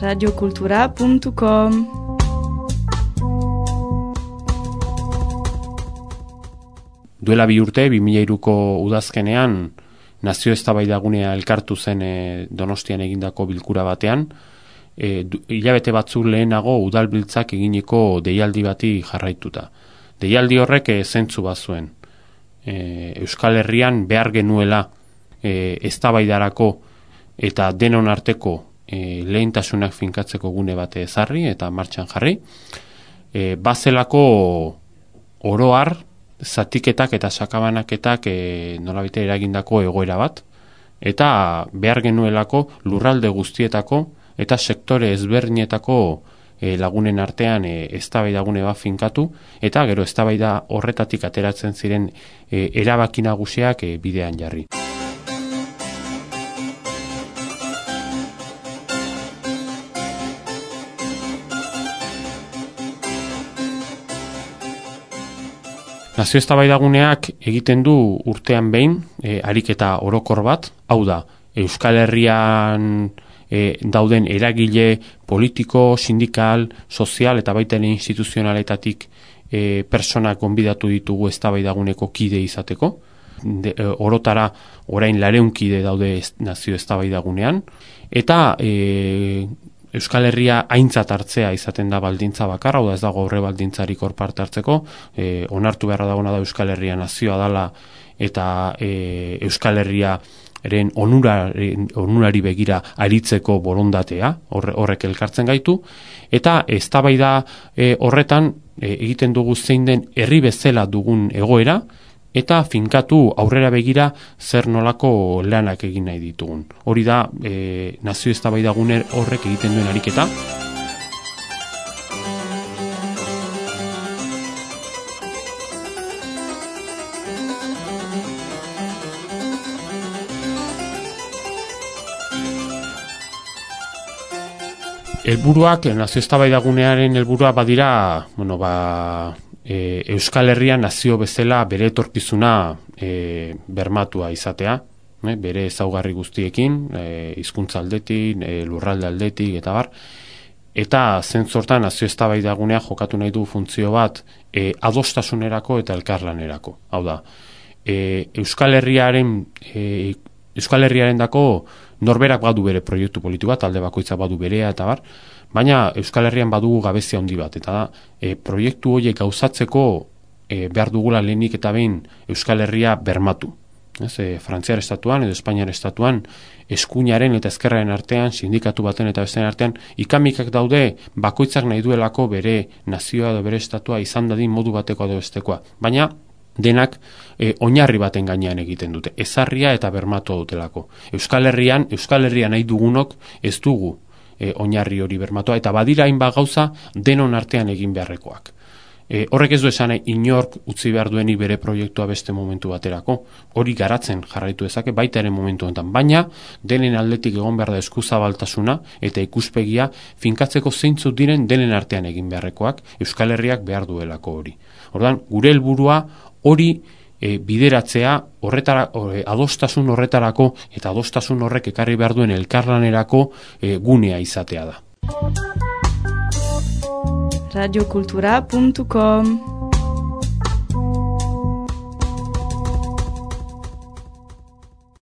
radiokultura.com. Duela 2 urte, 2003ko udazkenean, nazio eztabaidagunea elkartu zen Donostian egindako bilkura batean, hilabete batzuk lehenago udalbiltzak eginiko deialdi bati jarraituta. Deialdi horrek zentzu bazuen. Euskal Herrian behar genuela eztabaidarako eta denon arteko lehentasunak finkatzeko gune bate ezarri eta martxan jarri. Bazelako oroar, zatiketak eta sakabanaketak nolabait eragindako egoera bat, eta behar genuelako lurralde guztietako eta sektore ezberdinetako lagunen artean eztabaidagune bat finkatu, eta gero eztabaida horretatik ateratzen ziren erabaki nagusiak bidean jarri. Nazio eztabaidaguneak egiten du urtean behin ariketa orokor bat, hau da, Euskal Herrian dauden eragile politiko, sindikal, sozial eta baita ere instituzionaletatik personak gonbidatu ditugu eztabaidaguneko kide izateko. Orotara orain 200 kide daude nazio eztabaidagunean, eta Euskal Herria aintzat hartzea izaten da baldintza bakarra, hau da ez dago horre baldintzarik hor parte hartzeko, onartu beharra dagoena da Euskal Herria nazioa dala eta Euskal Herriaren onurari begira aritzeko borondatea, horrek elkartzen gaitu, eta eztabaida horretan egiten dugu zein den herri bezala dugun egoera, eta finkatu aurrera begira zer nolako lanak egin nahi ditugun. Hori da nazio eztabaidagune horrek egiten duen ariketa. Helburuak, nazio eztabaidagunearen helburua badira, Euskal Herria nazio bezala bere etorkizuna bermatua izatea, bere ezaugarri guztiekin, hizkuntza aldetik, lurralde aldetik eta bar, eta zentzortan nazio eztabaidagunea jokatu nahi du funtzio bat adostasunerako eta elkarlanerako. Hau da, Euskal Herriarendako norberak badu bere proiektu politikoa, talde bakoitza badu berea eta bar, baina Euskal Herrian badugu gabezia handi bat, eta da, proiektu horiek gauzatzeko behar dugula lehenik eta behin Euskal Herria bermatu. Frantziar estatuan edo Espainiar estatuan eskuinaren eta ezkerraren artean, sindikatu baten eta bestean artean, ikamikak daude bakoitzak nahi duelako bere nazioa edo bere estatua izan dadin modu bateko edo bestekoa. Baina denak oinarri baten gainean egiten dute, ezarria eta bermatu dutelako. Euskal Herria nahi dugunok ez dugu oinarri hori bermatua, eta badira hainbat gauza denon artean egin beharrekoak. Horrek ez du esan inork utzi behar duenik bere proiektua beste momentu baterako, hori garatzen jarraitu dezake baita ere momentu honetan, baina denen aldetik egon behar da eskuzabaltasuna eta ikuspegia finkatzeko zeintzuk diren denen artean egin beharrekoak, Euskal Herriak behar duelako hori. Orduan, gure helburua hori bideratzea adostasun horretarako eta adostasun horrek ekarri behar duen elkarlanerako gunea izatea da. radiokultura.com